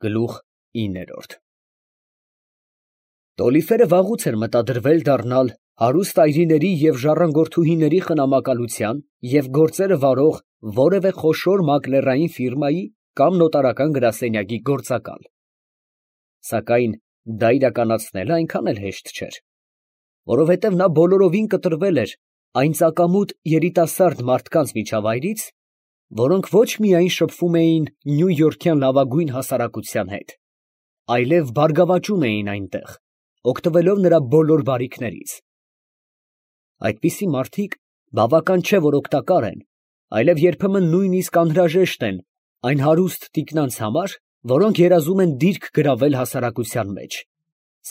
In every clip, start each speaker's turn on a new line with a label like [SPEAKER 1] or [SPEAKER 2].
[SPEAKER 1] Գլուխ 9 Տոլիֆերը վաղուց էր մտադրվել դառնալ հարուստ այրիների և ժառանգորդուհիների խնամակալության և գործերը վարող որևէ խոշոր մակլերային ֆիրմայի կամ նոտարական գրասենյակի գործակալ, սակայն դա իրականացնելը այնքան էլ հեշտ չէր, որովհետև նա բոլորովին կտրվել էր այն ծակամուտ երիտասարդ մարդկանց միջավայրից, որոնք ոչ միայն շփվում էին նյույորքյան լավագույն հասարակության հետ, այլև բարգավաճում էին այնտեղ, օգտվելով նրա բոլոր բարիքներից. այդպիսի մարդիկ բավական չէ, որ օգտակար են, այլև երբեմն նույնիսկ անհրաժեշտ են այն հարուստ տիկնանց համար, որոնք երազում են դիրք գրավել հասարակության մեջ,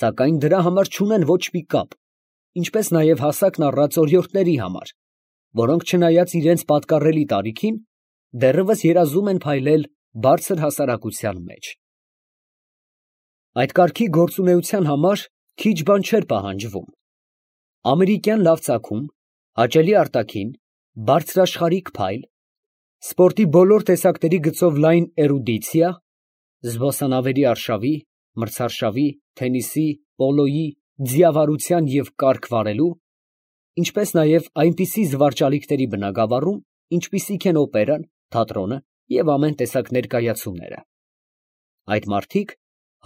[SPEAKER 1] սակայն դրա համար չունեն ոչ մի կապ, ինչպես նաև հասակն առած օրիորդների համար, որոնք չնայած իրենց պատկառելի տարիքին, դեռևս երազում են փայլել բարձր հասարակության մեջ։ Այդ կարգի գործունեության համար քիչ բան չէր պահանջվում. ամերիկյան լավ ծագում, հաճելի արտաքին, բարձրաշխարհիկ փայլ, սպորտի բոլոր տեսակների գծով լայն էրուդիցիա, զբոսանավերի արշավի, մրցարշավի, թենիսի, պոլոյի, ձիավարության և կառք վարելու, ինչպես նաև այնպիսի զվարճալիքների բնագավառում, ինչպիսիք են օպերան, թատրոնը և ամեն տեսակ ներկայացումները։ Այդ մարդիկ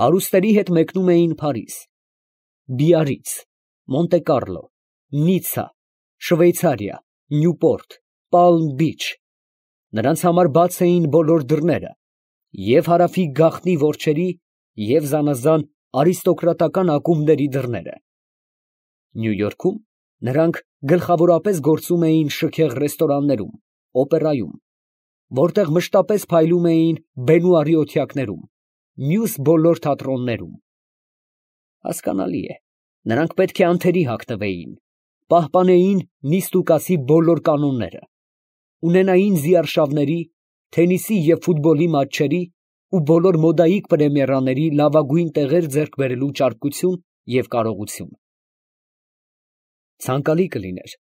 [SPEAKER 1] հարուստների հետ մեկնում էին Փարիզ, Բիարրից, Մոնտե Կառլո, Նիցցա, Շվեյցարիա, Նյուպորտ, Պալմ Բիչ, նրանց համար բաց էին բոլոր դռները, և հարավի գաղտնի որջերի և զանազան արիստոկրատական ակումբների դռները։ Նյույորքում նրանք գլխավորապես գործում էին շքեղ ռեստորաններում, օպերայում, որտեղ մշտապես փայլում էին բենուարի օթյակներում, մյուս բոլոր թատրոններում։ Հասկանալի է, նրանք պետք է անթերի հագնվեին, պահպանեին նիստուկասի բոլոր կանոնները, ունենային զիարշավների, թենիսի և ֆուտբոլի մատչերի ու բոլոր մոդայիկ պրեմիերաների լավագույն տեղեր ձեռք բերելու ճարպկություն և կարողություն։ Ցանկալի կլիներ,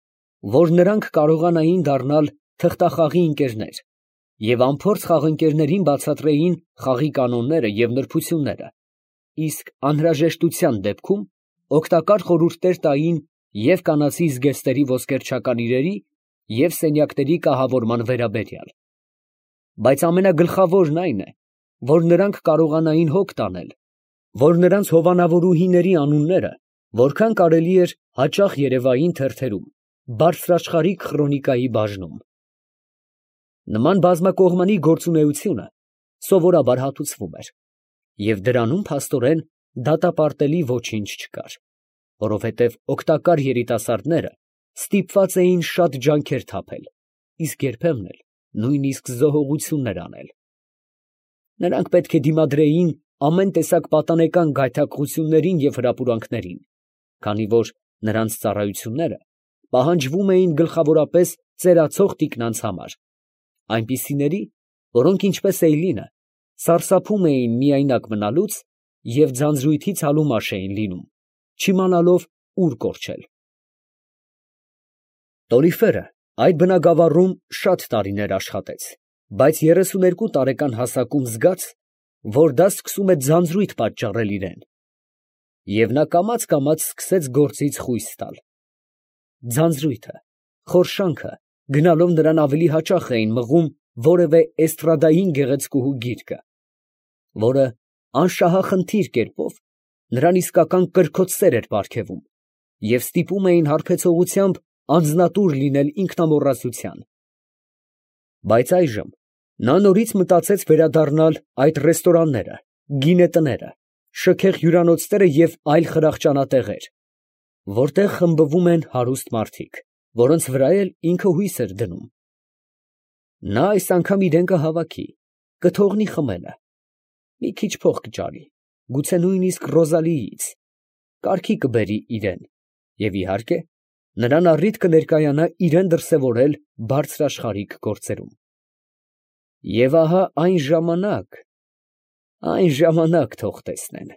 [SPEAKER 1] որ նրանք կարողանային դառնալ թղթախաղի ընկերներ և անփորձ խաղընկերներին բացատրեին խաղի կանոնները և նրբությունները, իսկ անհրաժեշտության դեպքում օգտակար խորհուրդներ տային և կանացի զգեստերի ոսկերչական իրերի և սենյակների կահավորման վերաբերյալ։ Բայց ամենագլխավորն այն է, որ նրանք կարողանային հոգ տանել, որ նրանց հովանավորուհիների անունները որքան կարելի էր հաճախ երևային թերթերում, բարձրաշխարհիկ խրոնիկայի բաժնում։ Նման բազմակողմանի գործունեությունը սովորաբար հատուցվում էր, և դրանում փաստորեն դատապարտելի ոչինչ չկար, որովհետև օգտակար երիտասարդները ստիպված էին շատ ջանքեր թափել, իսկ երբեմն էլ նույնիսկ զոհողություններ անել։ Նրանք պետք է դիմադրեին ամեն տեսակ պատանեկան գայթակղություններին և հրապուրանքներին, քանի որ նրանց ծառայությունները պահանջվում էին գլխավորապես ծերացող տիկնանց համար, այնպիսիների, որոնք ինչպես Էյլինը, սարսափում էին միայնակ մնալուց և ձանձրույթից հալումաշ էին լինում, չիմանալով ուր կորչել։ Տորիֆերը այդ բնագավառում շատ տարիներ աշխատեց, բայց 32 տարեկան հասակում զգաց, որ դա սկսում է ձանձրույթ պատճառել իրան, և նա կամաց սկսեց գործից խույս տալ։ Ձանձրույթը, խորշանքը գնալով նրան ավելի հաճախ էին մղում որևէ էստրադային գեղեցկուհու գիրկը, որը անշահախնդիր կերպով նրան իսկական կրքոտ սեր էր պարգևում, և ստիպում էին հարբեցողությամբ անձնատուր լինել ինքնամոռացության։ Բայց այժմ նա նորից մտածեց վերադառնալ այդ ռեստորանները, գինետները, շքեղ հյուրանոցները և այլ խրախճանատեղեր, որտեղ խմբվում են հարուստ մարդիկ, որոնց վրա էլ ինքը հույս էր դնում։ Նա այս անգամ իրան կհավաքի, կթողնի խմելը, մի քիչ փող կճարի, գուցե նույնիսկ Ռոզալիից, կարգի կբերի իրան, և իհարկե, նրան առիթ կներկայանա իրան դրսևորել բարձրաշխարհիկ գործերում։ Եվ ահա այն ժամանակ թող տեսնեն։